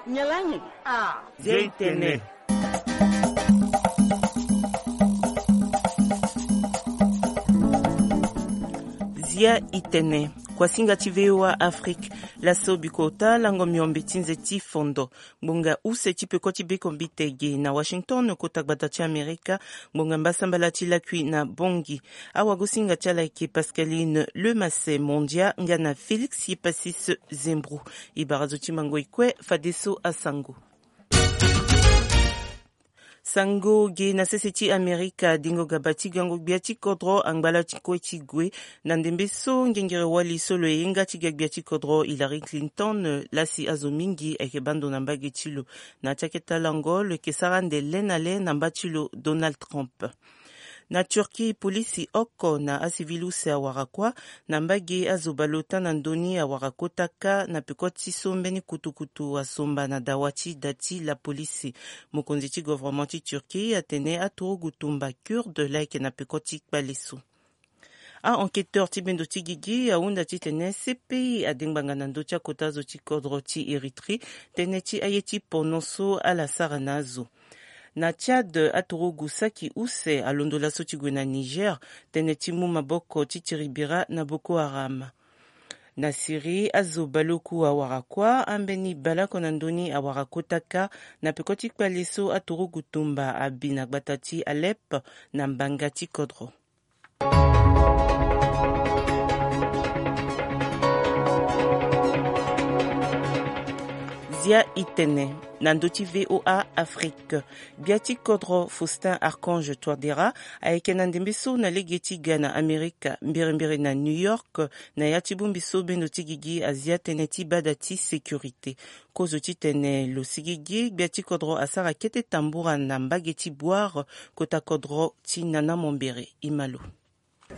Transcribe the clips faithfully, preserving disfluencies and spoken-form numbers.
Nyalangi. Ah. Zia itene. Zia itene. Kuasinga ti VOA Afrique. Laso bikota lango miombe ti nze ti fondo. Ngbonga use ti peko ti bekombite ge na Washington, kota gbata ti Amerika. Ngbonga mbasambala ti lakui na Bongi. Awagosinga ti ala eke Pascaline Lemase Mondia nga na Félix Yepasis Zembro. E bara zo ti mango e kue fadeso asango. Sango ge na sese ti Amerika, dengo gaba ti gango gbia ti kodro angba la ti kue ti gue. Na ndembe so ngengere wali so lo ye nga ti ga gbia ti kodro Hillary Clinton, lasi azo mingi ayeke bando na mbage ti lo. Na ti akete lango lo yeke sara ande le na le na mba ti lo Donald Trump. Na Turquie, polisi oko na asivili use awara kuâ na mbage azo baleota na ndö ni awara kota kâ na peko ti so mbeni kutukutu asomba na dawa ti da ti lapolisi. Mokonzi ti governement ti Turquie atene aturugu tumba kurde laa ayeke na peko ti kpale so. A-enquêteur ti bendo ti gigi ahunda titene C P I ade ngbanga na ndö ti akota zo ti kodro ti Érythrée, tënë ti aye ti pono so ala sara na azo. Na Tchad, aturugu saki use alondo laso ti gue na Niger, tënë ti mu maboko ti tiribira na Boko Haram. Na Syrie, azo baleoku awara kuâ, ambeni baleoko na ndö ni awara kota kâ na peko ti kpale so aturugu tumba abi na gbata ti Alep na mbanga ti kodro. Zia itene na ndö ti VOA Afrique. Gbia ti kodro Faustin Archange Touadéra ayeke na ndembe so na lege ti ga na Amerika, mbirimbiri na New York, na ya ti bongbi so bendo ti gigi azia tënë ti bada ti sécurité. Kozo titene lo sigigi gbia ti kodro asara kete tambura na mbage ti Bouar, kota kodro ti Nana Mambéré. E ma lo.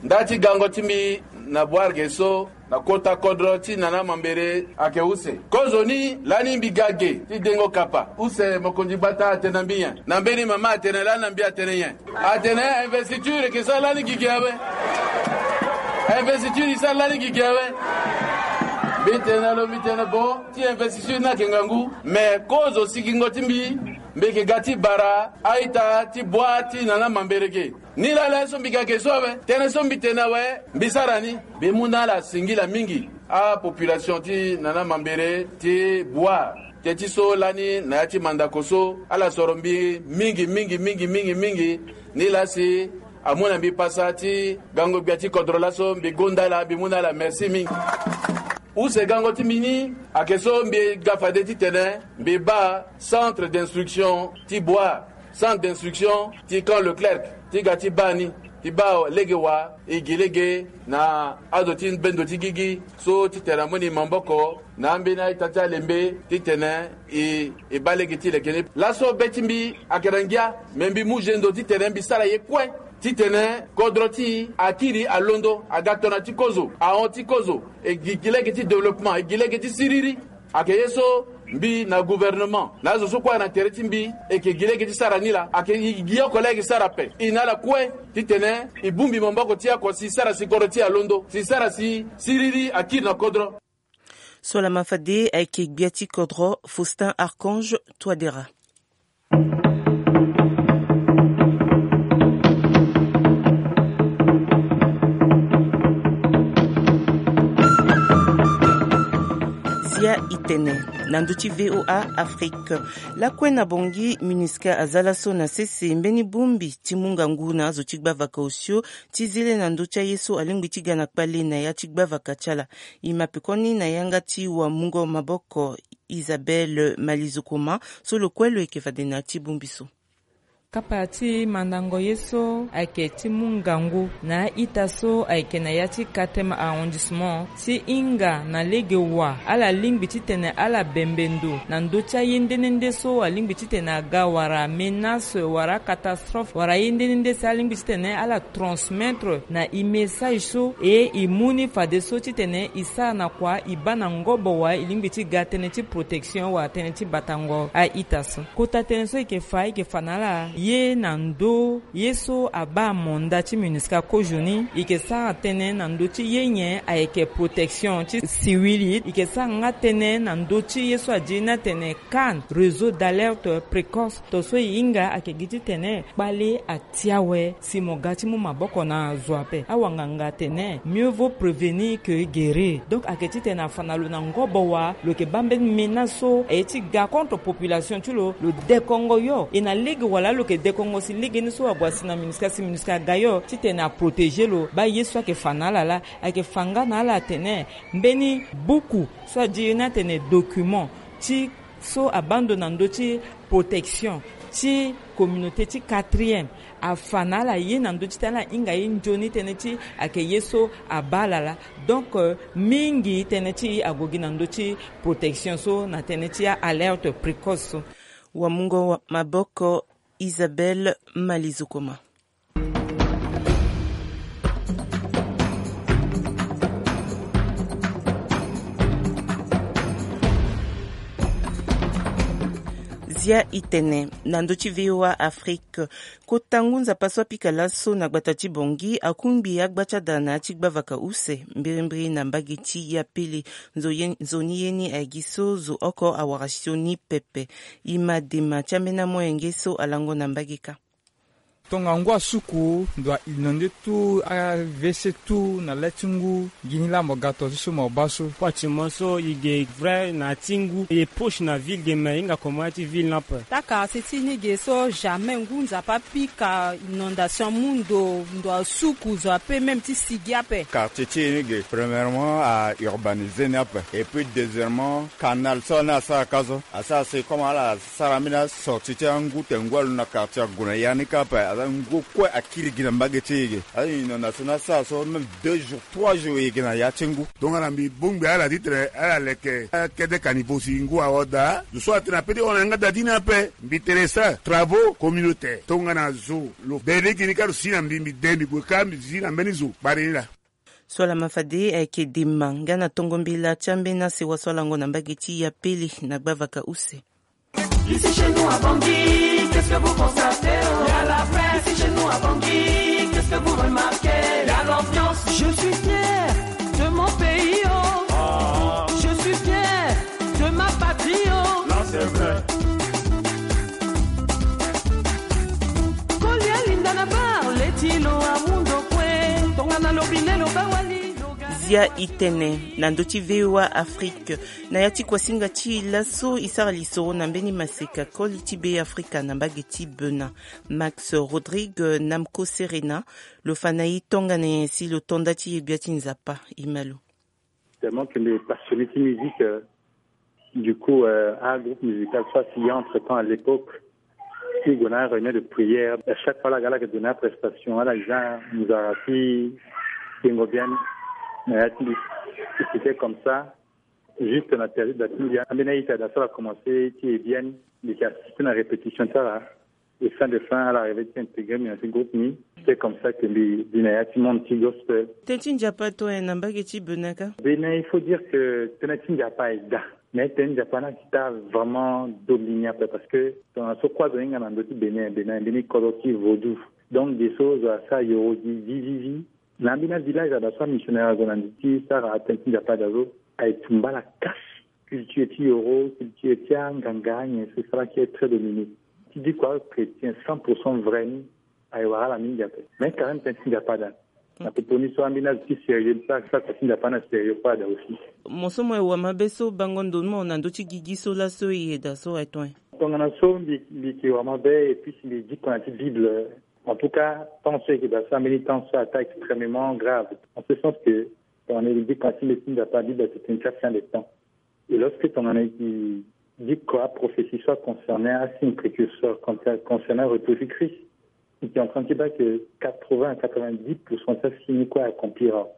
Nda ti gango ti mbi na Bouar ge so, na kota kodro ti Nana Mambéré ayeke use. Kozo ni lani mbi ga ge ti dengo kapa. Use mokonzi gbata atene na mbi nyen? Na mbeni mama atene lani na mbi atene nyen? Atene investiture eke sara lani gigi awe. Investiture e sara lani gigi awe. Mbi tene na lo, mbi tene bon, ti investiture ni ayeke ngangu, me kozo sigingo ti mbi, mbi yeke ga ti bara a-ita ti Bouar ti Nana Mambéré ge. Ni laa laso mbi ga ge so awe, tënë so mbi tene awe, mbi sara ni. Mbi mu na ala singila mingi apopulation ti Nana Mambéré ti Bouar. Teti so lani na ya ti mandako so, ala soro mbi mingi mingi mingi mingi mingi. Ni laa si amu na mbi pasa ti gango gbia ti kodro laso, mbi gonda ala, mbi mu na ala merci mingi. Use gango ti mbi ni ayeke so mbi ga fade titene mbi baa centre d'instruction ti Bouar, centre d'instruction ti Camp Leclerc, ti ga ti baa ni, ti baa lege wa e gi lege na azo ti bendo ti gigi so titene amoni maboko na ambeni a-ita ti alembe titene e, e baa lege ti leke ni. Laso be ti mbi ayeke na ngia, me mbi mu gendo titene mbi sara ye kue titene kodro ti e akiri alondo, aga tongana ti kozo, ahon ti kozo, e gi, gi lege ti développement, e gi lege ti siriri. Ayeke ye so mbi na gouvernement na azo so kue na tere ti mbi, e yeke gi lege ti sara ni laa. Ayeke e gi oko laa e yeke sara ape. E na ala kue titene e bongbi maboko ti e oko si sara si kodro ti e alondo, si sara si siriri akiri na kodro. So lama fade ayeke gbia ti kodro Faustin Archange Touadéra. Zia itene na ndö ti VOA Afrique. Lakue na Bongi, MINUSCA aza laso na sese mbeni bongbi ti mu ngangu na azo ti gbavaka osio ti zele na ndö ti aye so alingbi ti ga na kpale na ya ti gbavaka ti ala. E ma pekoni na yanga ti wamungo maboko Isabelle Malizokoma so lo kue lo yeke fade na ya ti bongbi so. Kapa ti mandango ye so ayeke ti mu ngangu na a-ita so ayeke na ya ti quatrième arrondissement ti hinga na lege wa ala lingbi titene ala bembe ndo na ndö ti aye nde nde nde so alingbi titene aga wala menace wala catastrophe wala aye nde nde nde si alingbi titene ala transmettre na e message so e e mu ni fadeso titene e sara na kua e baa na ngobo wa e lingbi ti ga tënë ti protection wala tënë ti batango a-ita so. Kota tënë so e yeke fa e yeke fa na ala. Ye na ndö ye so abaa manda ti MINUSCA kozoni, e yeke sara tënë na ndö ti ye nyen ayeke protection ti civil, e yeke sara nga tënë na ndö ti ye so adi ni atene CAN, réseau d'alerte précoce. Tongaso e hinga ayeke gi titene kpale atia awe si mo ga ti mu maboko na zo ape. Awanganga atene mieux vaut prévenir que guérir. Donc ayeke titene afa na lo na ngobo wa lo yeke baa mbeni menace so aye ti ga contre population ti lo, lo dekongo yo. E na lege wala lo yeke dekongo si legeni so ague asi na MINUSCA si MINUSCA aga yo titene aprotéger lo. Baa ye so ayeke fa na ala laa, ayeke fa nga na ala atene mbeni buku so adi ye ni atene document ti so abaa ndo na ndö ti protection ti communauté ti quatrième, afa na ala ye na ndö ti tene ala hinga ye nzoni tënë ti ayeke ye so abaa ala laa. Donc, euh, mingi tënë ti e ague gi na ndö ti protection so na tënë ti alerte précoce so. Wamungo wa-, maboko Isabelle Malizukoma. Zia itene na ndö ti V O A Afrique. Kota ngu nzapa so apika laso na gbata ti Bangui akungbi agba ti ada na ya ti gbavaka use mbirimbiri na mbage ti Yapele. Nzo ye-, nzoni ye ni aye gi so zo oko awara sioni pepe. E ma dema ti ambeni amoyenge so alango na mbage kâ. Tonga ngu asuku ndo a inondé tout, a-WC tout na le ti ngu. Gi ni laa mo ga to ti so mo baa so. Pratiquement so e ge vrai na ya ti ngu e poche na ville ge, me e hinga comment ya ti ville ni ape. Taa quartier ti ni ge so jamais ngu nzapa apika inondation amu ndo, ndo asuku zo ape même ti sigi ape. Quartier ti e ni ge, premièrement a urbanisé ni ape, et puis deuxièmement canal so ni asara ka so asara si comme ala sara ambeni asorti ti angu te ngu alo na quartier ague na ya ni kâ ape. Aza ngu kue akiri gi na mbage ti e ge. Aza inondation ni asara so même deux jours, trois jours e ge na ya ti ngu. Tongana mbi bongbi ala ti tene ala leke akede kanivo si ngu awa daa, zo so atene ape ti hon na yanga daa ti ni ape. Mbi tene sara travaux communautaire tongana zo lo bere gi ni kâ lo si na mbi, mbi de mbi gue kâ mbi zi na mbeni zo kpari ni laa. So ala ma fade ayeke dema nga na tongo mbela ti ambeni asewa so alango na mbage ti Yapele na gbavaka use. Ici chez nous à Bangui, qu'est-ce que vous constatez, oh ? Il y a la fête. Ici chez nous à Bangui, qu'est-ce que vous remarquez ? Il y a l'ambiance. Je suis fier de mon pays, oh. Je suis fier de ma patrie, oh. Là, c'est vrai. Kolia linda na bar, leti lo amundo kue. Tongana lobi lelo bawali lo ga. Zia itene na ndö ti V O A Afrique. Na ya ti kuasinga ti e laso e sara lisoro na mbeni maseka koli ti Be Afrika na mbage ti Bénin. Max Rodrigue, Namco Serena, lo fa na e tongana nyen si lo to nda ti e gbia ti Nzapa? E ma lo. Tellement que mbi passionné ti musique, euh, du coup, euh, un groupe musical so asi entre temps à l'époque, ti gue na réunion de prière. À chaque fois ala ga ala yeke donné prestation, ala za nzara ti tengo bien na ya ti mbi. C'était comme ça. Juste na période da ti mbi ambeni a-ita da so ala commencé ti e bien, mbi yeke assisté na répétition ti ala. Et fin de fin ala arrivé ti intégré mbi na ti groupe ni. C'est comme ça que mbi di na ya ti monde ti gospel. Tënë ti Nzapa ato nyen na mbage ti Bénin kâ? Bénin, il faut dire que tënë ti Nzapa aye daa. Mais tënë ti Nzapa ni ayeke daa vraiment domini ape parce que tongana so kue azo ahinga na ndö ti Bénin, Bénin mbeni kodro ti vaudou. Donc ge so zo asara yoro gi vivivi. Na ambeni avillage ada so amissionnaire ague na ndi ti sara atënë ti Nzapa ada so aye tumba ala cache culture ti yoro, culture ti anganga, nyen so e sara ki est très dominé. Ti diko achrétien cent pour cent vrai ni aye wara ala mingi ape. Mais quand même tënë ti Nzapa ada. Na popo ni so ambeni azo ti sérieux ni sara sara kua ti Nzapa ni asérieux kue ada aussi. Mo so mo ye wamabe so bango ndo ni mo na ndö ti gigi so laso e yeda so aye to nyen? Tongana so mbi, mbi yeke wamabe et puis si mbi diko na ti Bible, en tout cas temps so e yeke daa so ambeni temps so ata extrêmement grave. En ce sens que tongana e diko na ti mbeti ti Nzapa, Bible ayeke tene ti afin de temps. Et lorsque tongana e diko aprophétie so aconcerné asigne précurseur, concernant retour ti Christ, e yeke en train ti baa que quatre-vingts à quatre-vingt-dix pour cent ti asigne ni kue accomplir awe.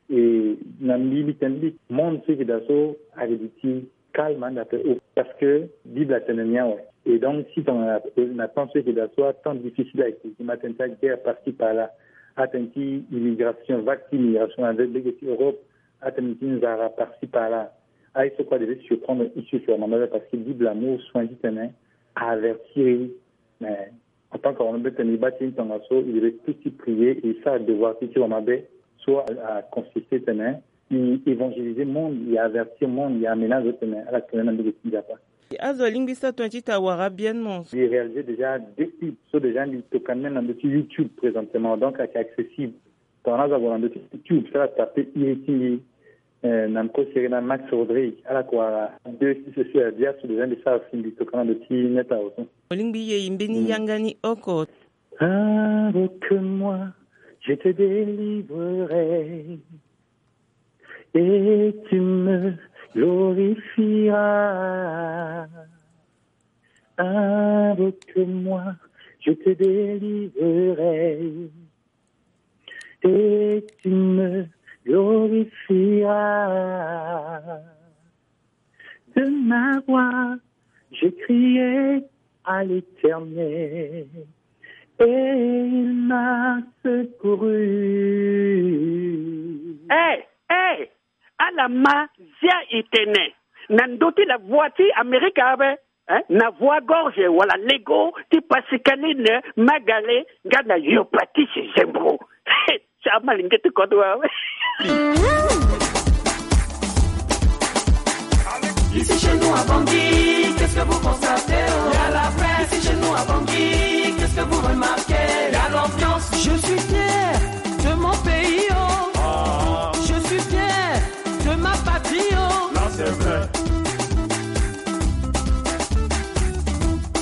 E na mbi mbi tene mbi monde so e yeke daa so ayeke duti calme ande ape o parce que Bible atene ni awe. Et donc si tongana na temps so e yeke daa so atemps difficile ayeke gi ma atene ti aguerre par ci par là, atene ti immigration, vague ti immigration na lege ti Europe, atene ti nzara par ci par là. Aye so kue adeve surprendre issue sur mama parce que Bible amu soin titene avertir e. Mais En tant que wama be tene, i baa ti ni tongaso, i devait plus ti prier et i sara devoir ti ti wama be, so a, a consiste tene i évangéliser monde, i avertir monde, i amenace tene ala tene na mbege ti Nzapa. Azo alingbi sa tongana ti ta wara bien non. I réaliser déjà deux clips so déjà mbi tokani même na ndö ti YouTube présentement, donc ayeke accessible. Tongana azo ague na ndö ti YouTube, so ala taper iri ti mbi, eh, na mko sere na Max Rodrigue, ala kua deux six so ya bia so déjà mbi sara si mbi tokana ndo ti net awe so. Olingbi ye i mbeni yanga ni oko. Invoque-moi, je te délivrerai, et tu me glorifieras. Invoque-moi, je te délivrerai, et tu me glorifieras. De ma voix, j'ai crié à l'Éternel, et il m'a secouru. Eh, eh, ala ma zia i tene na ndö ti la voix ti Amérique awe. Hein? Na voix gorge wala lego ti Pascaline Magale nga na Yopatis Zembro. Sa malinge ti kodo awe. Ici chez nous à Bangui, qu'est-ce que vous constatez, oh ? Il y a la fête. Ici chez nous à Bangui, qu'est-ce que vous remarquez ? Il y a l'ambiance. Je suis fier de mon pays, oh. Je suis fier de ma patrie, oh. Là, c'est vrai.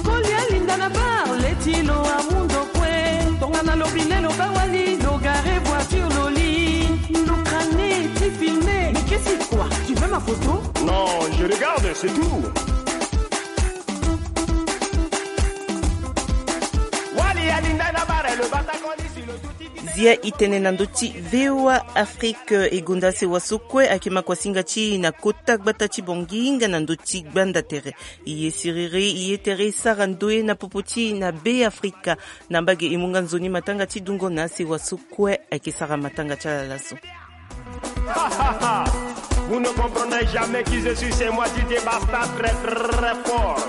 Kolia linda na bar, leti lo amundo kue. Tongana lo bine lo bawali, lo gare voiture lo li. Lo crane ti filme. Mais qu'est-ce que quoi ? Tu veux ma photo ? Non, je regarde, c'est tout. Wali alinda na bar, lo bata koni si lo duti. Zia i tene na ndö ti V O A Afrique, e gonda sewa so kue ayeke makuasinga ti e na kota gbata ti Bangui nga na ndö ti gbanda tere. I ye siriri, i ye tere e sara ndoye na popo ti e na Be Afrika. Na mbage e mu nga nzoni matanga ti dungo na asewa so kue ayeke sara matanga ti ala laso. Vous ne comprendrez jamais qui je suis, c'est moi D J Basta, très très fort.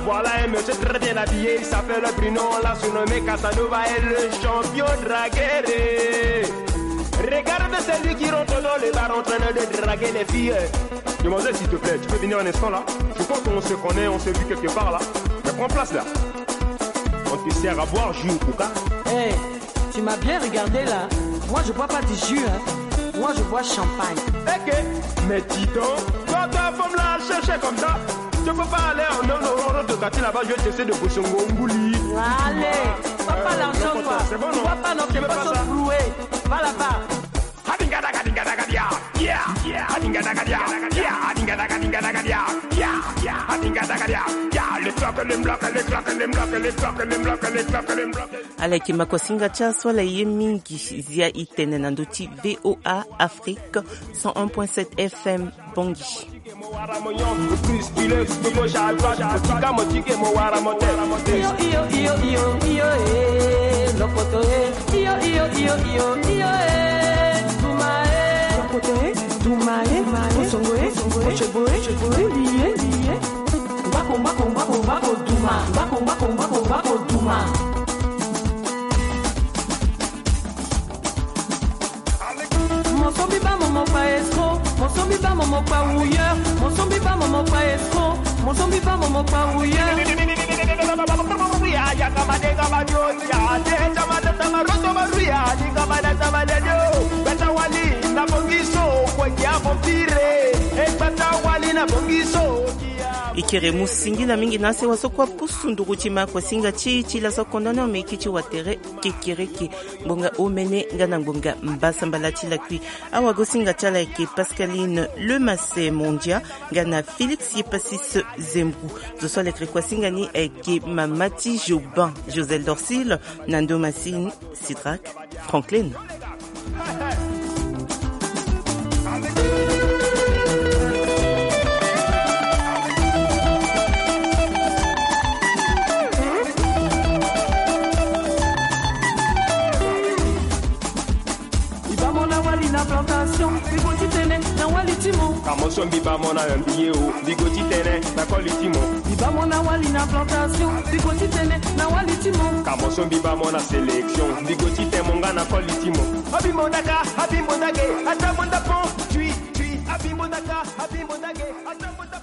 Voilà un monsieur très bien habillé, il s'appelle Bruno, on l'a surnommé Casanova, et le champion dragueur. Regarde celui qui rentre dans le bar en train de draguer les filles. Demoiselle, s'il te plaît, tu peux venir un instant là ? Je crois qu'on se connaît, on s'est vu quelque part là. Mais prends place là. On te sert à boire, jus ou coca ? Eh, tu m'as bien regardé là. Moi, je bois pas du jus, hein. Moi, je bois champagne. Ok. Mais dis donc, toi, ta femme là, chercher comme ça. Tu peux pas aller en, en, en, en, de quartier là-bas, je vais te essayer de Bosongo, Ngouli. Allez, papa, euh, l'argent, quoi. C'est bon, non ? Tu vois pas, non, tu veux pas ça ? Floué. Va là-bas. Ala yeke makuasinga ti aso ala ye mingi. Zia i tene na ndö ti V O A Afrique, cent un point sept F M Bangui. Iyo, iyo, iyo, iyo, iyo, eh, lokoto, eh. Iyo, iyo, iyo, iyo, iyo, eh, duma, eh. Lokoto, eh, duma, eh, osongo, eh, ochobo, eh, uli, eh, uli, eh. Mbako, mbako, mbako, mbako, duma. Mbako, mbako, mbako, mbako, duma. Mosombi ba momo pa escroc, mosombi ba momo pa wouilleur, mosombi ba momo pa escroc, mosombi ba momo pa wouilleur. E kere mu singila mingi na asewa so kue apusu nduru ti makuasinga ti e ti laso kondani omeki ti watere kekereke. Ngbonga omene nga na ngbonga mbasambala ti lakui. Awagosinga ti ala ayeke Pascaline Lemasse Mondia nga na Félix Yepasis Zembrou. Zo so ala yeke kuasinga ni ayeke mama ti Joban, Josel Dorcil, Nando Massine, Sidrak, Franklin. Mbi baa mo na wali na plantation, mbi go ti tene na wali ti mo. Ka mo so mbi baa mo na mbi ye o, mbi go ti tene na koli ti mo. Bamo na wali na plantation, biko ti tene na wali ti mo. Kamo so mbi bamo na sélection, mbi go ti temo nga na koli ti mo. Abimbo daka, abimbo dage, atabonda pon, tui, tui, abimbo daka, abimbo dage, atabonda